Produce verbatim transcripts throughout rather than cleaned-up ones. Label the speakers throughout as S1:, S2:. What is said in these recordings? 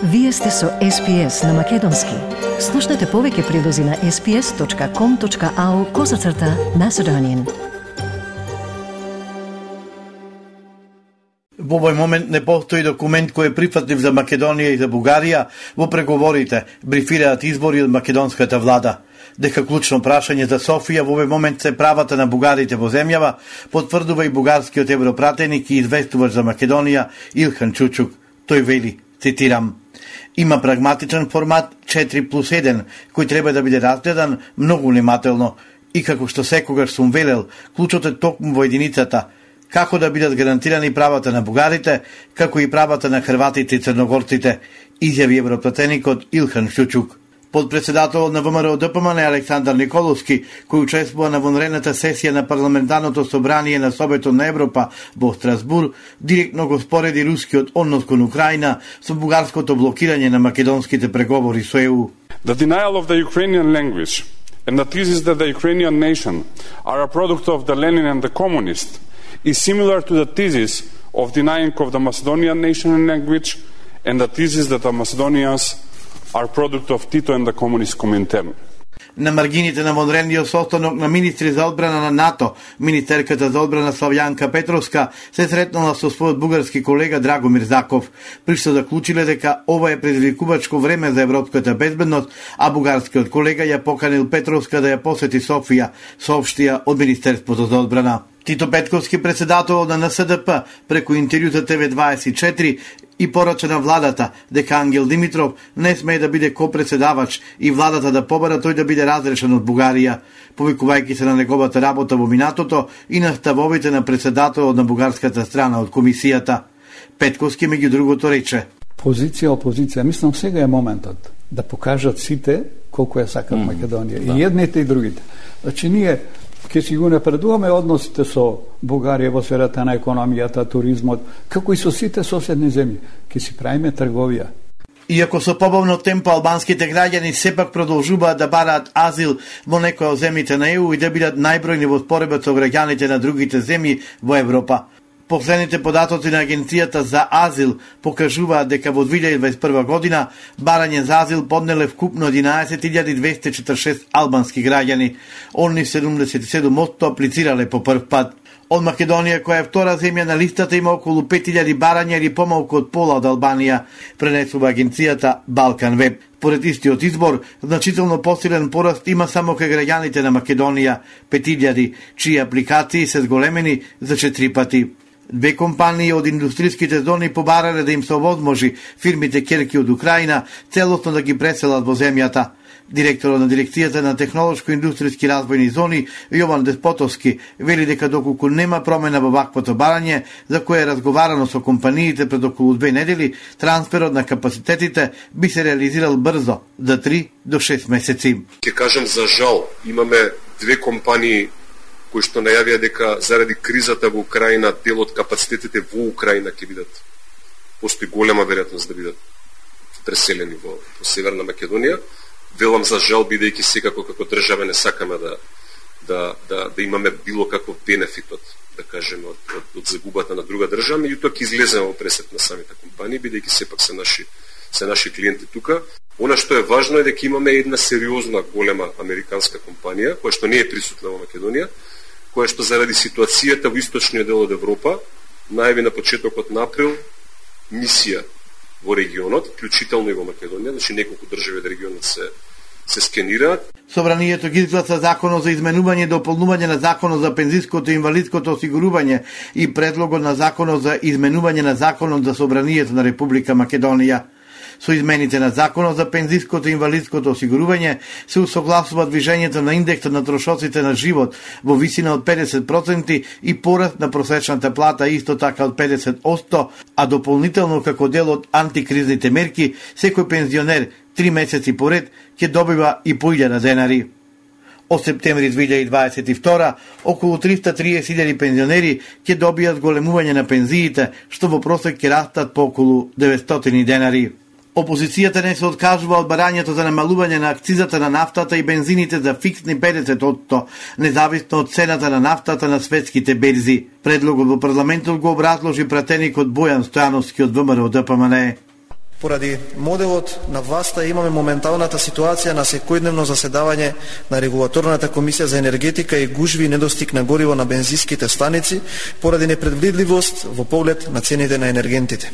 S1: Вие сте со Ес Пи Ес на Македонски. Слушнете повеќе прилози на ес пи ес точка ком точка ау козацрта Macedonian.
S2: Во овој момент не постои документ кој е прифатлив за Македонија и за Бугарија во преговорите, брифираат избори од македонската влада. Дека клучно прашање за Софија во овој момент се правата на бугарите во земјава, потврдува и бугарскиот европратеник и известувач за Македонија Илхан Чучук. Тој вели, цитирам: има прагматичен формат четири плюс еден, кој треба да биде разгледан многу внимателно. И како што секогаш сум велел, клучот е токму во единицата, како да бидат гарантирани правата на бугарите, како и правата на хрватите и црногорците, изјави европратеникот Илхан Чучук. Подпредседателот на Вэ Ем Р О Д П М Н Александар Николовски, кој учествува на вонредната сесија на парламентарното собрание на Советот на Европа во Страсбур, директно го спореди рускиот однос кон Украина со бугарското блокирање на македонските преговори со Е У.
S3: The denial of the Ukrainian language and the thesis that the Ukrainian nation are a product of the Lenin and the communists is similar to the thesis of denying of the Macedonian nation and language and the thesis that the Macedonians are product of Tito and the communist Comintern.
S2: На маргините на вонредниот состанок на министри за одбрана на НАТО, министерката за одбрана Славјанка Петровска се сретнала со својот бугарски колега Драгомир Заков, при што заклучиле дека ова е предизвикувачко време за европската безбедност, а бугарскиот колега ја поканил Петровска да ја посети Софија, соопштија од Министерството за одбрана. Тито Петковски, председател на Н С Д П, преку интервју за Т В дваесет и четири, и порача на владата дека Ангел Димитров не смее да биде копредседавач и владата да побара тој да биде разрешен од Бугарија, повикувајќи се на неговата работа во минатото и на ставовите на председателот на бугарската страна од комисијата. Петковски меѓу другото рече:
S4: позиција, опозиција, мислам сега е моментот да покажат сите колку ја сакат mm, Македонија, да. И едните и другите. Значи ние ќе си го напредуваме односите со Бугарија во сферата на економијата, туризмот, како и со сите соседни земји. Ќе си правиме трговија.
S2: Иако со побавно темпо албанските граѓани сепак продолжуваат да бараат азил во некои од земјите на Е У и да бидат најбројни во споредба со граѓаните на другите земји во Европа. Последните податоци на Агенцијата за азил покажуваат дека во две илјади и дваесет и прва година барање за азил поднеле вкупно единаесет илјади двесте и четиридесет и шест албански граѓани. Они седумдесет и седум одсто аплицирале по прв пат. Од Македонија, која е втора земја на листата, има околу пет илјади барања или помалку од пола од Албанија, пренесува агенцијата Балкан Веб. Поред истиот избор, значително посилен пораст има само кај граѓаните на Македонија, пет илјади, чии апликации се зголемени за четири пати. Две компании од индустриските зони побарале да им се овозможи фирмите ќерки од Украина целосно да ги преселат во земјата. Директорот на дирекцијата на технолошко-индустријски развојни зони Јован Деспотовски вели дека доколку нема промена во ваквото барање, за кое е разговарано со компаниите пред околу две недели, трансферот на капацитетите би се реализирал брзо, за три до шест месеци.
S5: Ќе кажам за жал, имаме две компании кои што најавија дека заради кризата во Украина дел од капацитетите во Украина ќе бидат, постои голема веројатност да бидат преселени во, во Северна Македонија. Велам за жал, бидејќи секако како држава не сакаме да да да да имаме било каков бенефит од, да кажеме, од, од, од загубата на друга држава, меѓутоа ќе излеземе во пресет на самите компании, бидејќи сепак се наши се наши клиенти тука. Она што е важно е дека имаме една сериозна голема американска компанија која што не е присутна во Македонија, која што заради ситуацијата во источниот дел од Европа најави на почетокот на април мисија во регионот, вклучително и во Македонија, значи неколку држави од регионот се се скенираат.
S2: Собранието ги изгласа законот за изменување и дополнување на законот за пензиското и инвалидското осигурување и предлогот на законот за изменување на законот за собранието на Република Македонија. Со измените на законот за пензиското и инвалидското осигурување се усогласува движењето на индексот на трошоците на живот во висина од педесет проценти и пораст на просечната плата исто така од педесет одсто, а дополнително како дел од антикризните мерки секој пензионер три месеци поред ќе добива и по илјада денари. Од септември две илјади дваесет и втора околу триста и триесет илјади пензионери ќе добијат големување на пензиите, што во просек ќе растат по околу деветстотини денари. Опозицијата не се откажува од барањето за намалување на акцизата на нафтата и бензините за фиксни педесет одсто, независно од цената на нафтата на светските берзи. Предлогот во парламентот го образложи пратеникот Бојан Стојановски од Вэ Ем Р О Д П М Н.
S6: Поради моделот на власта имаме моменталната ситуација на секојдневно заседавање на регулаторната комисија за енергетика и гужви и недостиг на гориво на бензинските станици поради непредвидливост во поглед на цените на енергентите.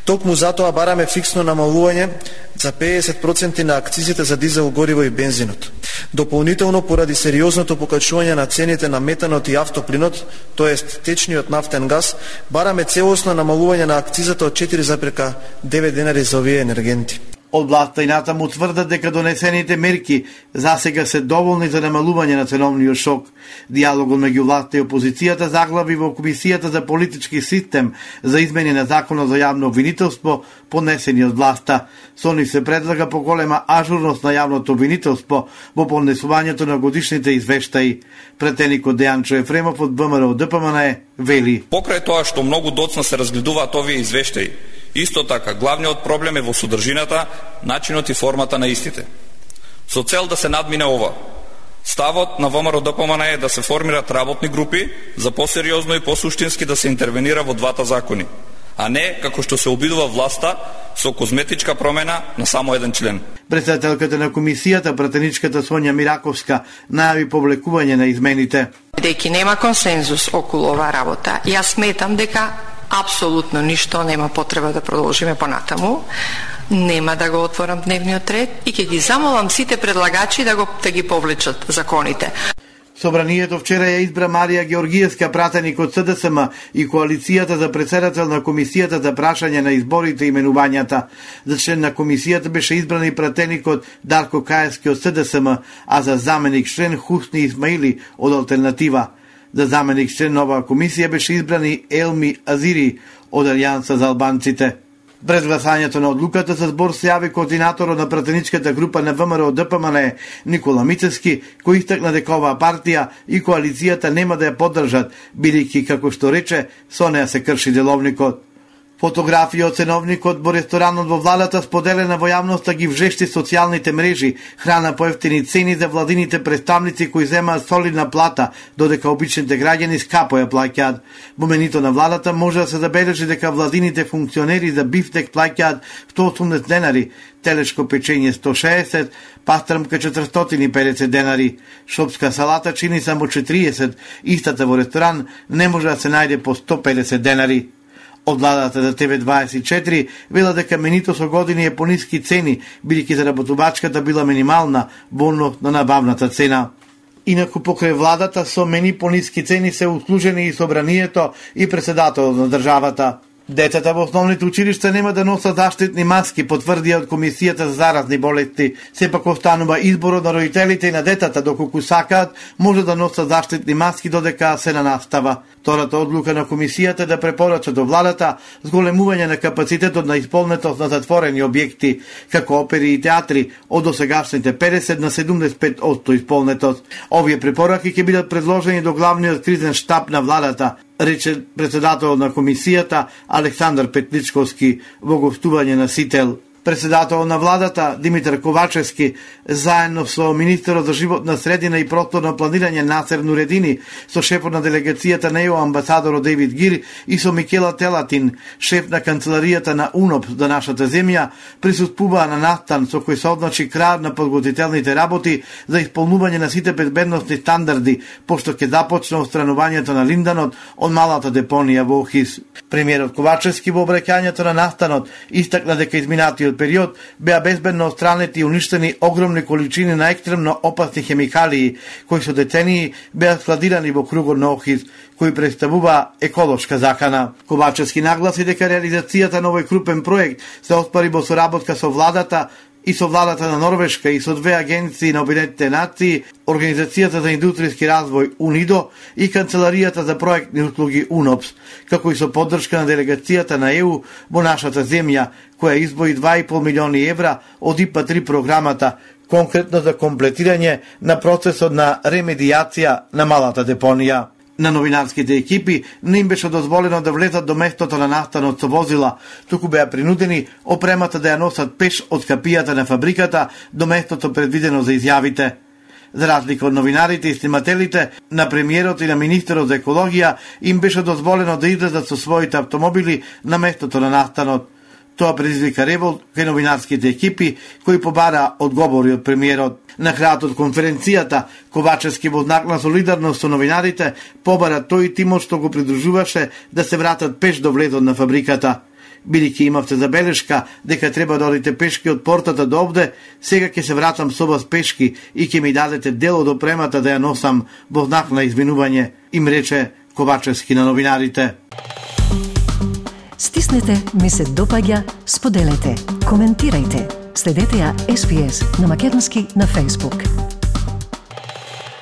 S6: Токму затоа бараме фиксно намалување за педесет проценти на акцизите за дизел гориво и бензинот. Дополнително поради сериозното покачување на цените на метанот и автоплинот, тоест течниот нафтен газ, бараме целосно намалување на акцизата од четири зарез девет денари за овие енергенти.
S2: Од власта и натаму тврдат дека донесените мерки засега се доволни за намалување на ценовниот шок. Диалогот меѓу власта и опозицијата заглави во Комисијата за политички систем за измени на Законот за јавно обвинителство, поднесени од власта. Со нив се предлага поголема ажурност на јавното обвинителство во поднесувањето на годишните извештаи. Претеникот Дејанчо Ефремов од ВМРО Д П М Н вели:
S7: Покрај тоа што многу доцна се разгледуваат овие извештаи, исто така, главниот проблем е во содржината, начинот и формата на истите. Со цел да се надмине ова, ставот на ВМРО Д П М Н е да се формират работни групи за посериозно и посуштински да се интервенира во двата закони, а не како што се обидува власта со козметичка промена на само еден член.
S2: Председателката на комисијата, пратеничката Сонја Мираковска, најави повлекување на измените.
S8: Деки нема консензус околу оваа работа, јас сметам дека апсолутно ништо нема потреба да продолжиме понатаму. Нема да го отворам дневниот ред и ќе ги замолам сите предлагачи да го да ги повлечат законите.
S2: Собранието вчера ја избра Марија Георгиевска, пратеник од С Д С М и коалицијата за председател на Комисијата за прашање на изборите и именувањата. За член на комисијата беше избран и пратеникот Дарко Каевски од С Д С М, а за заменик член Хусни Исмаили од Алтернатива. За заменик член на оваа комисија беше избран и Елми Азири од Алијанса за албанците. Пред гласањето на одлуката за збор се јави координаторот на пратеничката група на ВМРО Д П М Н Никола Мицевски, кој истакна дека оваа партија и коалицијата нема да ја поддржат, бидејќи, како што рече, со неа се крши деловникот. Фотографија од ценовникот во ресторанот во владата споделена во јавноста ги вжешти социјалните мрежи, храна по ефтини цени за владините представници кои земаат солидна плата, додека обичните граѓани скапо ја плаќаат. Во менито на владата може да се забележи дека владините функционери за бифтек плаќаат сто и осумдесет денари, телешко печење сто шеесет, пастрмка четиристотини и педесет денари, шопска салата чини само четириесет, истата во ресторан не може да се најде по сто и педесет денари. Од владата за Т В дваесет и четири вела дека менито со години е по ниски цени, бидејќи заработувачката била минимална во однос на набавната цена. Инаку покрај владата со мени по ниски цени се услужени и собранието и председателот на државата. Децата во основните училишта нема да носат заштитни маски, потврдија од Комисијата за заразни болести. Сепак останува изборот на родителите и на детата, доколку сакаат, може да носат заштитни маски додека се на настава. Втората одлука на Комисијата да препорача до владата зголемување на капацитетот на исполнетост на затворени објекти, како опери и театри, од досегашните педесет на седумдесет и пет одсто исполнетост. Овие препораки ќе бидат предложени до главниот кризен штаб на владата, рече председателот на комисијата Александар Петличковски во гостување на Сител. Председател на владата Димитар Ковачевски, заедно со министерот за животна средина и просторно планирање Насер Нуредини, со шефот на делегацијата на Е У амбасадорот Дейвид Гир и со Микела Телатин, шеф на канцеларијата на УНОПС за нашата земја, присуствуваа на настан со кој се означи крај на подготвителните работи за исполнување на сите безбедносни стандарди, пошто ќе започне отстранувањето на линданот од малата депонија во Охис. Премиерот Ковачевски во обраќањето на настанот истакна дека изминатиот период беа безбедно отстранети и уништени огромни количини на екстремно опасни хемикалии, кои со децении беа складирани во кругот на Охис, кои представува еколошка закана. Ковачевски нагласи дека реализацијата на овој крупен проект се оспари во соработка со владата и со владата на Норвешка и со две агенции на Обединетите нации, Организацијата за индустријски развој УНИДО и Канцеларијата за проектни услуги УНОПС, како и со поддршка на делегацијата на Е У во нашата земја, која избои два и пол милиони евра од И П А три програмата, конкретно за комплетирање на процесот на ремедијација на малата депонија. На новинарските екипи не им беше дозволено да влезат до местото на настанот со возила, туку беа принудени опремата да ја носат пеш од капијата на фабриката до местото предвидено за изјавите. За разлика од новинарите и снимателите, на премиерот и на министерот за екологија им беше дозволено да излезат со своите автомобили на местото на настанот. Тоа предизвика револт кај новинарските екипи кои побара одговори од премиерот. На крајот од конференцијата, Ковачевски во знак на солидарност со новинарите побара тој тимот што го придружуваше да се вратат пеш до влезот на фабриката. Бидејќи имавте забелешка дека треба да одите пешки од портата до овде, сега ќе се вратам со вас пешки и ќе ми дадете дел од опремата да ја носам во знак на извинување, им рече Ковачевски на новинарите.
S1: Стиснете, ми се допаѓа, споделете, коментирајте. Следете ја Ес Би Ес на македонски на Facebook.